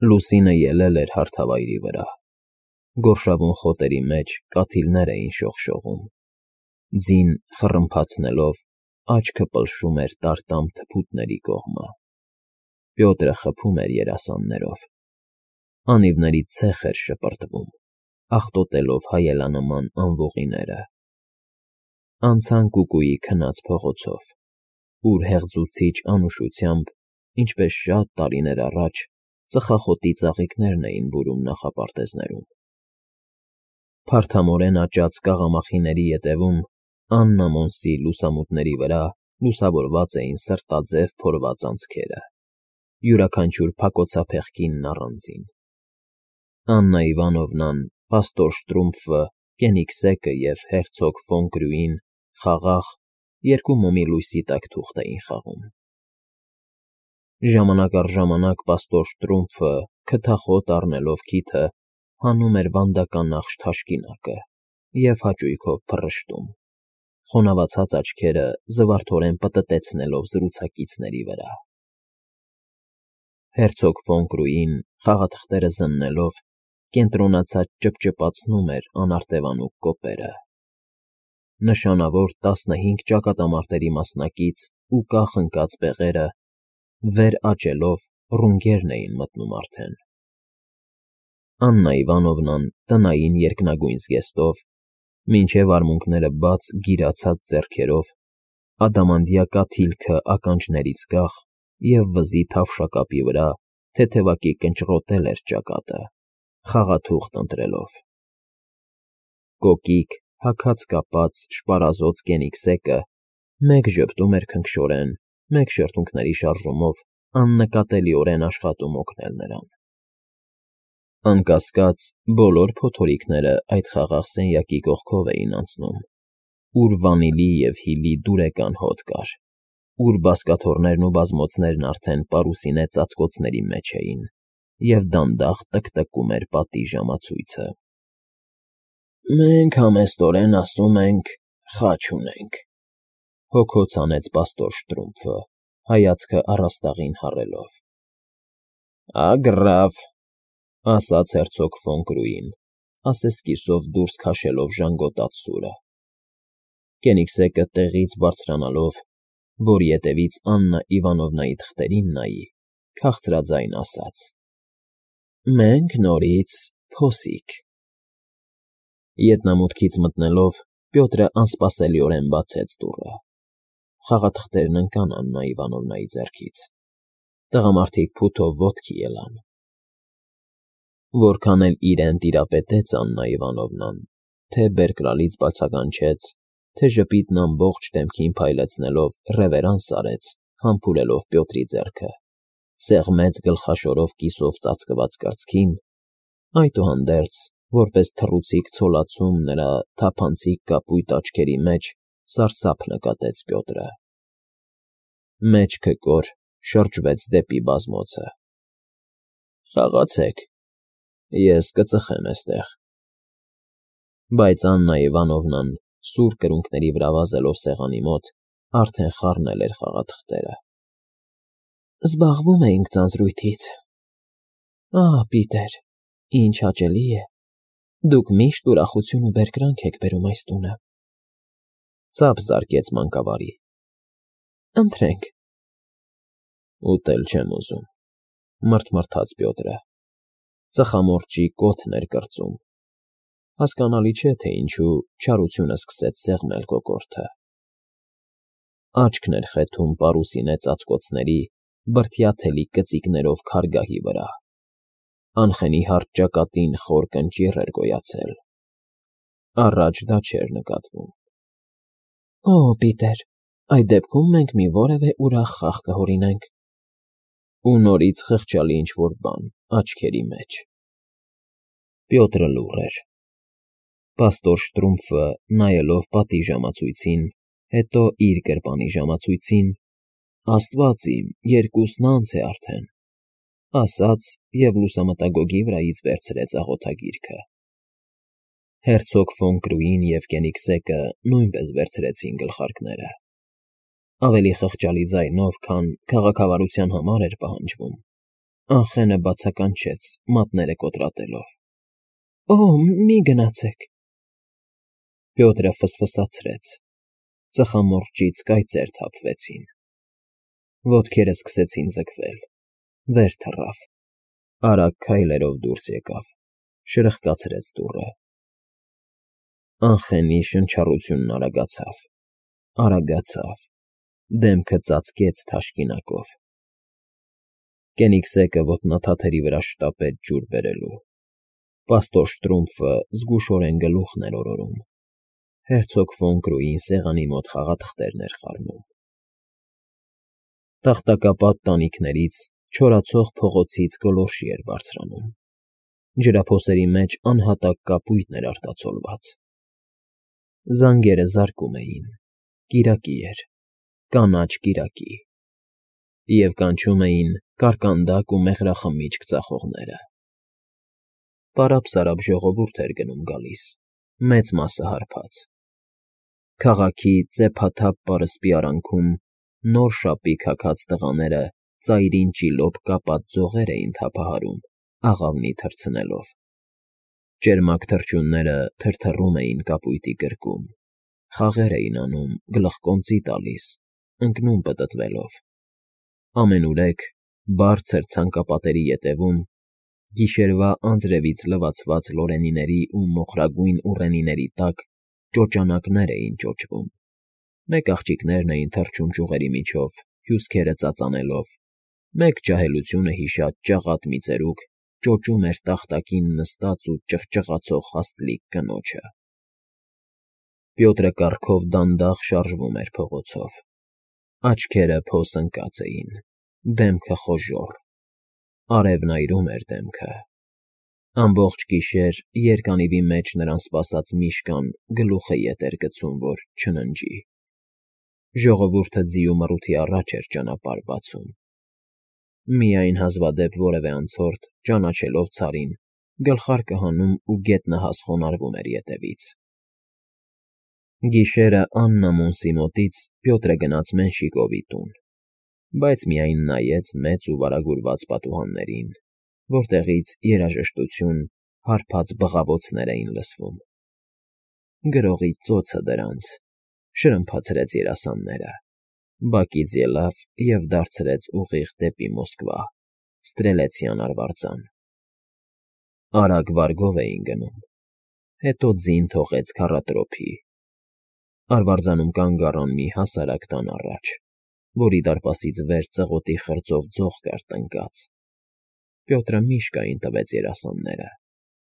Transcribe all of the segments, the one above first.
Լուսինը ելել էր հարթավայրի վրա։ Գորշավուն խոտերի մեջ կաթիլներ էին շողշողում։ Ձին խռմփացնելով, աչքը պլշում էր տարտամ թփուտների կողմը։ Պյոտրը խփում էր երասաններով։ Անիվներից ցեխ էր շպրտվում, աղտոտելով հայելանման անվուղիները։ Անցան Կուկուի քնած փողոցով, ուր հեղձուցիչ անուշությամբ, ինչպես շատ տարիներ առաջ, ծխախոտի ծաղիկներն էին բուրում նախապարտեզներում։ Փարթամորեն աճած կաղամախիների ետևում, աննամոնսի լուսամուտների վրա լուսավորված էին սրտաձև փորված անցքերը, յուրաքանչյուր փակոցափեղ կինն առանձին։ Աննա Իվանովնան, պաստոր Շտրումֆը, Կենիգսեկը և հերցոգ ֆոն Կրյուին խաղաղ, երկու մոմի լույսի տակ թուղթ էին խաղում։ Ժամանակ առ ժամանակ պաստոր Շտրումֆը, քթախոտ առնելով քիթը, հանում էր վանդականախշ թաշկինակը և հաճույքով փռշտում, խոնավացած աչքերը զվարթորեն պտտեցնելով զրուցակիցների վրա։ Հերցոգ ֆոն Կրուին, խաղաթղթերը զննելով, կենտրոնացած ճպճպացնում էր անարտևանուկ կոպերը։ Նշանավոր 15 ճակատամարտերի մասնակից ու կախ ընկած բեղերը, վեր աճելով, ռունգերն էին մտնում արդեն։ Աննա Իվանովնան տնային երկնագույն զգեստով, մինչև արմունկները բաց գիրացած ձեռքերով, ադամանդյա կաթիլքը ականջներից կախ և վզի թավշակապի վրա թեթևակի կնճռոտել էր ճակատը, խաղաթուղթ ընտրելով։ Կոկիկ, հագած կապած շպարազոծ Կենիգսեկը մեկ ժպտում էր քնքշորեն, մեկ շրթունքների շարժումով աննկատելիորեն աշխատում օգնել նրան։ Անկասկած, բոլոր փոթորիկները այդ խաղաղ սենյակի կողքով էին անցնում, ուր վանիլի և հիլի դուրեկան հոտ կար, ուր բազկաթոռներն ու բազմոցներն արդեն պարուսինե ծածկոցների մեջ էին, և դանդաղ տկտկում էր պատի ժամացույցը։ «Մենք համեստորեն ասում ենք՝ խաչ ունենք,֊ հոգոց հանեց պաստոր Շտրումֆը, հայացքը առաստաղին հառելով։ «Ագռավ,֊ ասաց հերցոգ ֆոն Կրուին, ասեսկիսով դուրս քաշելով ժանգոտած սուրը։ Կենիգսեկը տեղից բարձրանալով, որ ետևից Աննա Իվանովնայի թղթերին նայի, քաղցրաձայն ասաց. «Մենք նորից փոսիկ»։ Ետնամուտքից մտնելով, Պյոտրը անսպասելիորեն բացեց դուռը։ Խաղաթղթերն ընկան Աննա Իվանովնայի ձեռքից։ Տղամարդիկ փութով ոտքի ելան։ Որքան էլ իրեն տիրապետեց Աննա Իվանովնան, թե բերկրալից բացականչեց, թե ժպիտն ամբողջ դեմքին փայլեցնելով ռևերանս արեց, համբուրելով Պյոտրի ձեռքը, սեղմեց գլխաշորով կիսով ծածկված կրծքին, այդուհանդերձ, որպես թռուցիկ ցոլացում նրա թափանցիկ կապույտ աչքերի մեջ սարսափ նկատեց Պյոտրը։ Մեջքը կոր շրջվեց դեպի բազմոցը։ «Խաղացեք, ես կծխեմ էստեղ»։ Բայց Աննա Իվանովնան, սուր կրունկների վրա վազելով սեղանի մոտ, արդեն խառնել էր խաղաթղթերը։ «Զբաղվում էինք ձանձրույթից։ Ահա, Պիտեր, ինչ հաճելի է, դուք միշտ ուրախություն ու բերկրանք եք բերում այս տունը,֊ ծափ զարկեց մանկավարի։ Ընթրենք։ Ուտել չեմ ուզում,֊ մռթմռթաց Պյոտրը։ Ծխամորճի կոթն էր կրծում։ Հասկանալի չէ, թե ինչու չարությունը սկսեց սեղմել կոկորդը։ Աչքն էր խեթում պարուսինե ծածկոցների, բրդյա թելի կծիկներով քարգահի վրա։ Անխենի հարթ ճակատին խոր կնճիռ էր գոյացել։ Առաջ դա չէր նկատվում։ Օ, Պիտեր, այդ դեպքում մենք մի որևէ ուրախ խաղ կհորինենք։ Ու նորից խղճալի ինչ֊որ բան աչքերի մեջ։ Պյոտրը լուռ էր։ Պաստոր Շտրումֆը, նայելով պատի ժամացույցին, հետո իր գրպանի ժամացույցին, «Աստված իմ, երկուսն անց է արդեն», ասաց և լուսամտագոգի վրայից վերցրեց աղոթագիրքը։ Հերցոգ ֆոն Կրուին և Կենիգսեկը նույնպես վերցրեցին գլխարկները։ Ավելի խղճալի ձայնով, քան քաղաքավարության համար էր պահանջվում, Անխենը բացականչեց, մատները կոտրատելով։ Օ, մի գնացեք։ Պյոտրը ֆսֆսացրեց։ Ծխամորճից կայծեր թափվեցին։ Ոտքերը սկսեցին ձգվել։ Վեր թռավ։ Արագ քայլերով դուրս եկավ, շրխկացրեց դուռը։ Անխենի շնչառությունն արագացավ, դեմքը ծածկեց թաշկինակով։ Կենիգսեկը ոտնաթաթերի վրա շտապեց ջուր բերելու։ Պաստոր Շտրումֆը զգուշորեն գլուխն էր օրորում։ Հերցոգ ֆոն Կրույին սեղանի մոտ խաղաթղթերն էր խառնում։ Տախտակապատ տանիքներից, չորացող փողոցից գոլորշի էր բարձրանում։ Ջրափոսերի մեջ անհատակ կապույտն էր արտացոլված։ Զանգերը զարկում էին։ Կիրակի էր, կանաչ կիրակի։ Եվ կանչում էին կարկանդակ ու մեղրախմիչք ծախողները։ Պարապ-սարապ ժողովուրդ էր գնում֊գալիս, մեծ մասը հարբած։ Քաղաքի ծեփաթափ պարսպի արանքում նոր շապի քաքած տղաները ծայրին ճիլոպ կապած ձողեր էին թափահարում, աղավնի թռցնելով։ Ճերմակ թռչունները թրթռում էին կապույտի գրկում, խաղեր էին անում, գլխկոնծի տալիս, ընկնում պտտվելով։ Ամենուրեք, բարձր ցանկապատերի ետևում, գիշերվա անձրևից լվացված լորենիների ու մոխրագույն ուռենիների տակ ճոճանակներ էին ճոճվում։ Մեկ աղջիկներն էին թռչում ճյուղերի միջով, հյուսքերը ծածանելով, մեկ ջահելությունը հիշած ճաղատ մի ծերուկ ճոճում էր տախտակին նստած ու ճղճղացող հաստլիկ կնոջը։ Պյոտրը կառքով դանդաղ շարժվում էր փողոցով։ Աչքերը փոս ընկած էին, դեմքը խոժոռ, արևն այրում էր դեմքը։ Ամբողջ գիշեր երկանիվի մեջ նրան սպասած Միշկան գլուխը ետ էր գցում, որ չննջի։ Ժողովուրդը ձիու մռութի առաջ էր ճանապարհ բացում։ Միայն հազվադեպ որևէ անցորդ, ճանաչելով ցարին, գլխարկը հանում ու գետնահաս խոնարհվում էր ետևից։ Գիշերը աննամոնսի մոտից Պյոտրը գնաց Մենշիկովի տուն, բայց միայն նայեց մեծ ու վարագուրված պատուհաններին, որտեղից երաժշտություն, հարբած բղավոցներ էին լսվում։ Գրողի ծոցը դրանց, շրմփացրեց երասանները, բակից ելավ և դարձրեց ուղիղ դեպի Մոսկվա, Ստրելեցյան արվարձան։ Արագ վարգով էին գնում, հետո ձին թողեց քառատրոփի։ Արվարձանում կանգ առան մի հասարակ տան առաջ, որի դարպասից վեր ծղոտի խրձով ձող կար տնկած։ Պյոտրը Միշկային տվեց երասանները,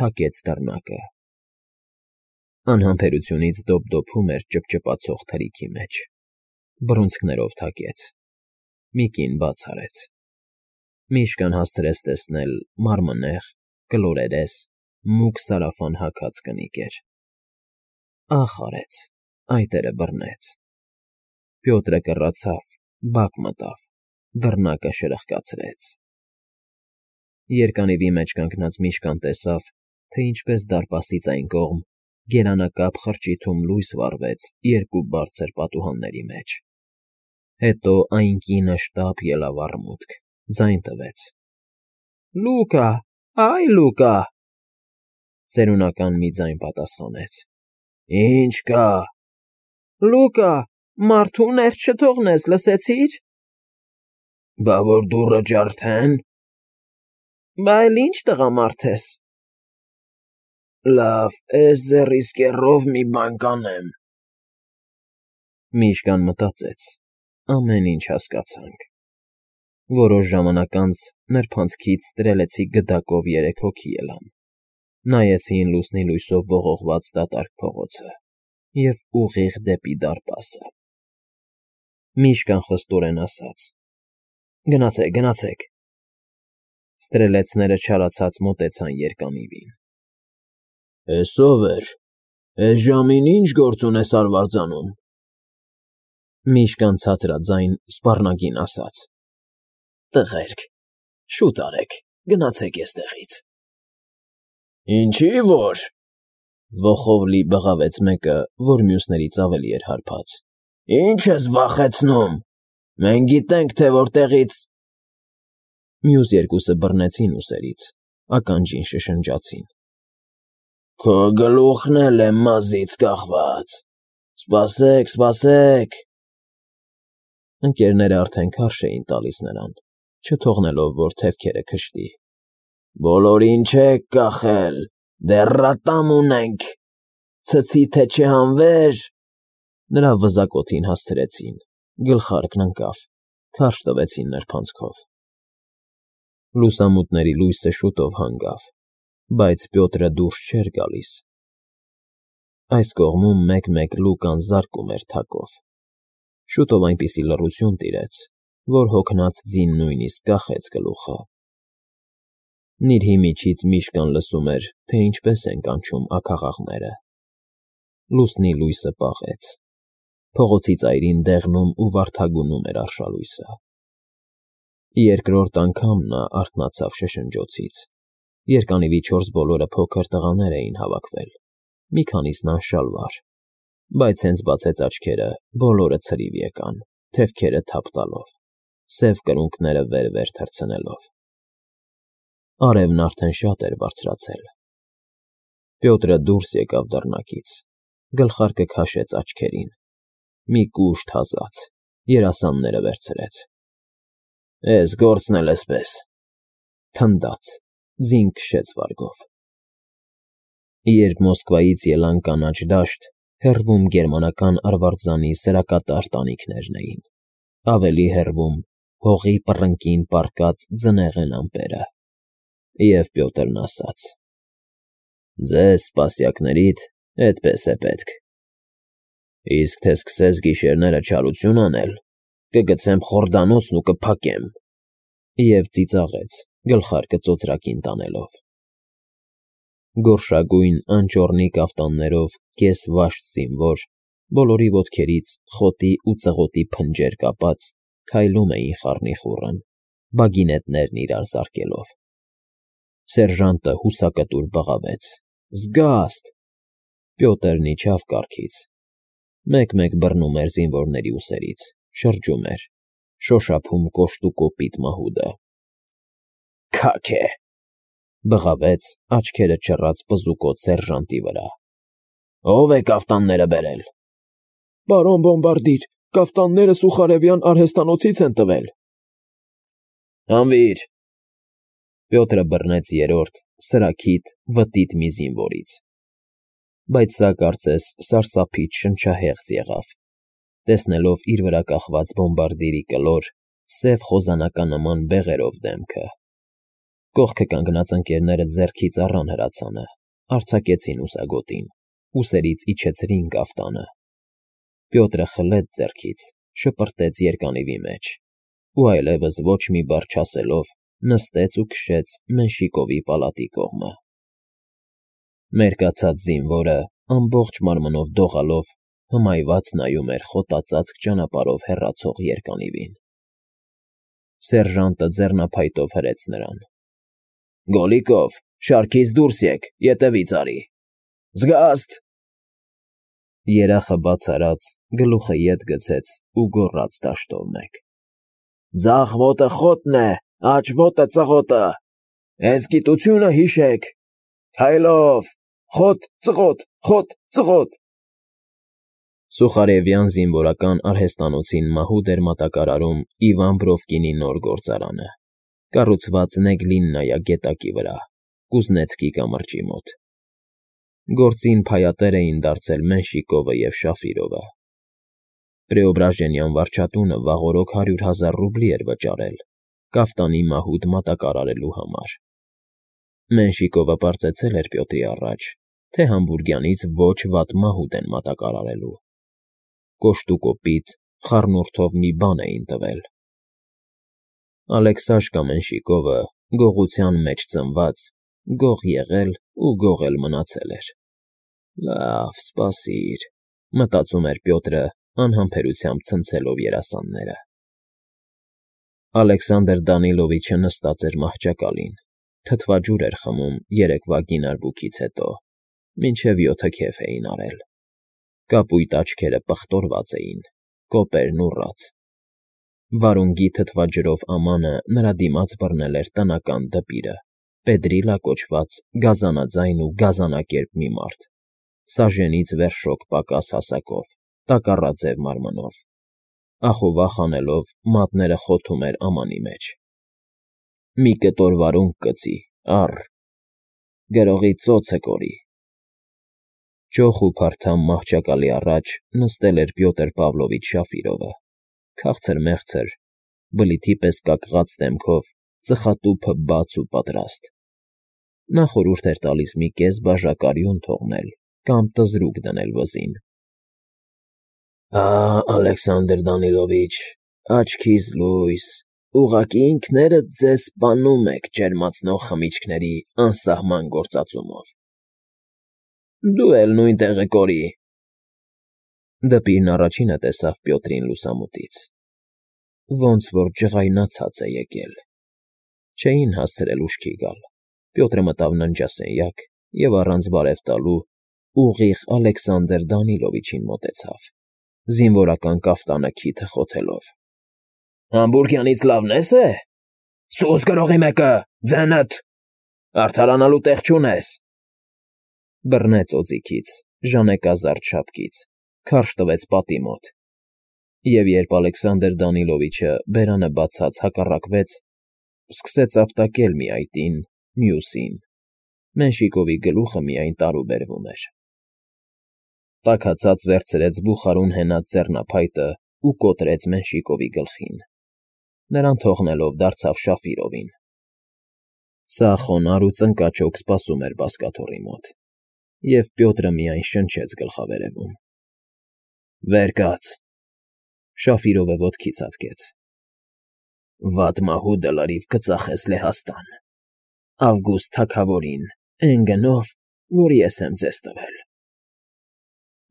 թակեց դռնակը։ Անհամբերությունից դոփդոփում էր ճփճփացող թրիքի մեջ։ Բռունցքներով թակեց։ Մի կին բաց արեց։ Միշկան հասցրեց տեսնել մարմնեղ, կլորերես, մուգ սարավան հագած կնիկ էր։ Ախ արեց, այտերը բռնեց։ Պյոտրը կռացավ, բակ մտավ, դռնակը շրխկացրեց։ Երկանիվի մեջ կանգնած Միշկան տեսավ, թե ինչպես դարպասից այն կողմ գերանակապ խրճիթում լույս վառվեց երկու բարձր պատուհանների մեջ։ Հետո այն կինը շտապ ելավ առմուտք, ձայն տվեց. Լուկա, այ Լուկա… Ծերունական մի ձայն պատասխանեց. Ինչ կա։ Լուկա, մարդու ներս չթողնես, լսեցի՞ր։ Բա որ դուռը ջարդեն։ Բա էլ ինչ տղամարդ ես։ Լավ, էս ձեռիս կեռով մի բան կանեմ։ Միշկան մտածեց. ամեն ինչ հասկացանք։ Որոշ ժամանակ անց նրբանցքից ստրելեցի գդակով 3 հոգի ելան, նայեցին լուսնի լույսով ողողված դատարկ փողոցը և ուղիղ դեպի դարպասը։ Միշկան խստորեն ասաց. Գնացեք, գնացեք։ Ստրելեցները չարացած մոտեցան երկանիվին։ Էս ով էր։ Էս ժամին ինչ գործ ունես արվարձանում։ Միշկան ցածրաձայն սպառնագին ասաց. Տղերք, շուտ արեք, գնացեք էստեղից։ Ինչի որ… Ոխով լի բղավեց մեկը, որ մյուսներից ավելի էր հարբած։ Ինչ ես վախեցնում։ Մենք գիտենք, թե որտեղից… Մյուս երկուսը բռնեցին ուսերից, ականջին շշնջացին. Քո գլուխն էլ է մազից կախված, սպասեք, սպասեք… Ընկերները արդեն քարշ էին տալիս նրան, չթողնելով, որ թևքերը քշտի։ Բոլորին չեք կախել, դեռ ատամ ունենք, ցցի թե չհանվեր… Նրա վզակոթին հասցրեցին, գլխարկն ընկավ, քարշ տվեցին նրբանցքով։ Լուսամուտների լույսը շուտով հանգավ, բայց Պյոտրը դուրս չէր գալիս։ Այս կողմում մեկ-մեկ Լուկան զարկում էր թակով։ Շուտով այնպիսի լռություն տիրեց, որ հոգնած ձին նույնիսկ կախեց գլուխը։ Նիրհի միջից միշկան լսում էր, թե ինչպես են կանչում աքաղաղները։ Լուսնի լույսը պաղեց։ Փողոցի ծայրին դեղնում ու վարդագունում էր արշալույսը։ Երկրորդ անգամ նա արթնացավ շշնջոցից։ Երկանիվի 4 բոլորը փոքր տղաներ էին հավաքվել, մի քանիսն անշալվար, բայց հենց բացեց աչքերը, բոլորը ցրիվ եկան, թևքերը թափ տալով, սև կրունկները վեր-վեր թռցնելով։ Արևն արդեն շատ էր բարձրացել։ Պյոտրը դուրս եկավ դռնակից, գլխարկը քաշեց աչքերին, մի կուշտ հազաց, երասանները վերցրեց։ Էս գործն էլ էսպես… Թնդաց, ձին քշեց վարգով։ Երբ Մոսկվայից ելան կանաչ դաշտ, հեռվում գերմանական արվարձանի սրակատար տանիքներն էին, ավելի հեռվում հողի պռնկին պառկած ձնեղեն ամպերը։ Եվ Պյոտրն ասաց. Ձեզ, սպասյակներիդ, էդպես է պետք։ Իսկ թե սկսես գիշերները չարություն անել, կգցեմ խորդանոցն ու կփակեմ… Եվ ծիծաղեց, գլխարկը ծոծրակին տանելով։ Գորշագույն անճոռնի կաֆտաններով կես վաշտ զինվոր, բոլորի ոտքերից խոտի ու ծղոտի փնջեր կապած, քայլում էին խառնիխուռն, բագինետներն իրար զարկելով։ Սերժանտը հուսակտուր բղավեց. Զգաստ… Պյոտրն իջավ կառքից, մեկ-մեկ բռնում էր զինվորների ուսերից, շրջում էր, շոշափում կոշտ ու կոպիտ մահուդը։ Քաք է… Բղավեց, աչքերը չռած պզուկոտ սերժանտի վրա։ Ո՞վ է կաֆտանները բերել։ Պարոն բոմբարդիր, կաֆտանները Սուխարևյան արհեստանոցից են տվել։ Հանվիր… Պյոտրը բռնեց երրորդ, սրաքիթ, վտիտ մի զինվորից։ Բայց սա կարծես սարսափից շնչահեղձ եղավ, տեսնելով իր վրա կախված բոմբարդիրի կլոր, սև խոզանականման բեղերով դեմքը։ Կողքը կանգնած ընկերները ձեռքից առան հրացանը, արձակեցին ուսագոտին, ուսերից իջեցրին կաֆտանը։ Պյոտրը խլեց ձեռքից, շպրտեց երկանիվի մեջ ու այլևս ոչ մի բառ չասելով նստեց ու քշեց Մենշիկովի պալատի կողմը։ Մերկացած զինվորը ամբողջ մարմնով դողալով հմայված նայում էր խոտածածկ ճանապարհով հեռացող երկանիվին։ Սերժանտը ձեռնափայտով հրեց նրան. Գոլիկով, շարքից դուրս եկ, ետևից արի… Զգաստ… Երախը բաց արած, գլուխը ետ գցեց ու գոռաց դաշտով մեկ. Ձախ ոտը խոտն է, աջ ոտը ծղոտը… Էս գիտությունը հիշեք… Քայլով… Խոտ, ծղոտ, խոտ, ծղոտ… Սուխարևյան զինվորական արհեստանոցին մահուդ էր մատակարարում Իվան Բրովկինի նոր գործարանը, կառուցված Նեգլիննայա գետակի վրա, Կուզնեցկի կամրջի մոտ։ Գործին փայատեր էին դարձել Մենշիկովը և Շաֆիրովը։ Պրեոբրաժենյան վարչատունը վաղօրոք 100,000 ռուբլի էր վճարել կաֆտանի մահուդ մատակարարելու համար։ Մենշիկովը պարծեցել էր Պյոտրի առաջ, թե Համբուրգյանից ոչ վատ մահուդ են մատակարարելու։ Կոշտուկոպիտ, խառնուրդով մի բան էին տվել։ Ալեքսաշկա Մենշիկովը, գողության մեջ ծնված, գող եղել ու գող էլ մնացել էր։ Լավ, սպասիր, մտածում էր Պյոտրը, անհամբերությամբ ցնցելով երասանները։ Ալեքսանդր Դանիլովիչը նստած էր մահճակալին, թթվաջուր էր խմում երեկվա գինարբուքից հետո, մինչև 7 քեֆ էին արել։ Կապույտ աչքերը պղտորված էին, կոպերն ուռած։ Վարունգի թթվաջրով ամանը նրա դիմաց բռնել էր տնական դպիրը, Պեդրիլա կոչված գազանաձայն ու գազանակերպ մի մարդ, սաժենից վերշոք պակաս հասակով, տակառաձև մարմնով, ախովախ անելով մատները խոթում էր ամանի մեջ։ Մի կտոր վարունգ կծի, առ, գրողի ծոցը կորի։ Ճոխ ու փարթամ մահճակալի առաջ նստել էր Պյոտր Պավլովիչ Շաֆիրովը, քաղցր֊մեղցր, բլիթի պես կակղած դեմքով, ծխատուփը բաց ու պատրաստ։ Նա խորհուրդ էր տալիս մի կես բաժակարյուն թողնել կամ տզրուկ դնել վզին։ Ալեքսանդր Դանիլովիչ, աչքիս լույս, ուղղակի ինքներդ ձեզ սպանում եք ջերմացնող խմիչքների անսահման գործածումով։ Դու էլ նույն տեղը կորի։ Դպիրն առաջինը տեսավ Պյոտրին լուսամուտից։ Ոնց որ ջղայնացած է եկել։ Չէին հասցրել ուշքի գալ։ Պյոտրը մտավ ննջասենյակ և առանց բարև տալու ուղիղ Ալեքսանդր Դանիլովիչին մոտեցավ, զինվորական կաֆտանը քիթը խոթելով։ Համբուրգյանից լավն է՞ս։ Սուս գրողի մեկը, ձենդ, արդարանալու տեղ չունես։ Բռնեց օձիքից, ժանեկազարդ շապկից, քարշ տվեց պատի մոտ։ Եվ երբ Ալեքսանդր Դանիլովիչը բերանը բացած հակառակվեց, սկսեց ապտակել մի այտին, մյուսին, Մենշիկովի գլուխը միայն տարուբերվում էր։ Տաքացած վերցրեց բուխարուն հենած ձեռնափայտը ու կոտրեց Մենշիկովի գլխին, նրան թողնելով դարձավ Շաֆիրովին։ Սա խոնարհ ու ծնկաճոք սպասում էր բազկաթոռի մոտ, և Պյոտրը միայն շնչեց գլխավերևում։ Վեր կաց։ Շաֆիրովը ոտքից հատկեց։ Վատ մահուդը լրիվ կծախես Լեհաստան, Ավգուստ թագավորին, էն գնով, որ ես եմ ձեզ տվել։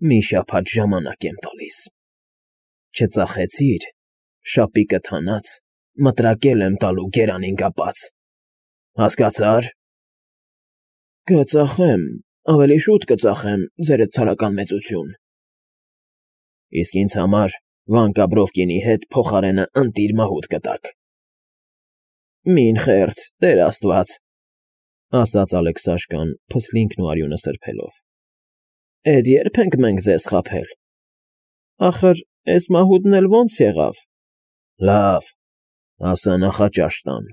Մի շաբաթ ժամանակ եմ տալիս։ Չծախեցիր, շապիկդ հանած, մտրակել եմ տալու գերանին կապած։ Հասկացա՞ր։ Կծախեմ, ավելի շուտ կծախեմ, ձերդ ցարական մեծություն։ Իսկ ինձ համար Վանկա Բրովկինի հետ փոխարենը ընտիր մահուդ կտաք։ Մին խերտ, Տեր Աստված, ասաց Ալեքսաշկան, փսլինքն ու արյունը սրբելով։ Էդ երբ ենք մենք ձեզ խաբել։ Ախր, էս մահուդն էլ ոնց եղավ։ Լավ, ասա նախաճաշ տան։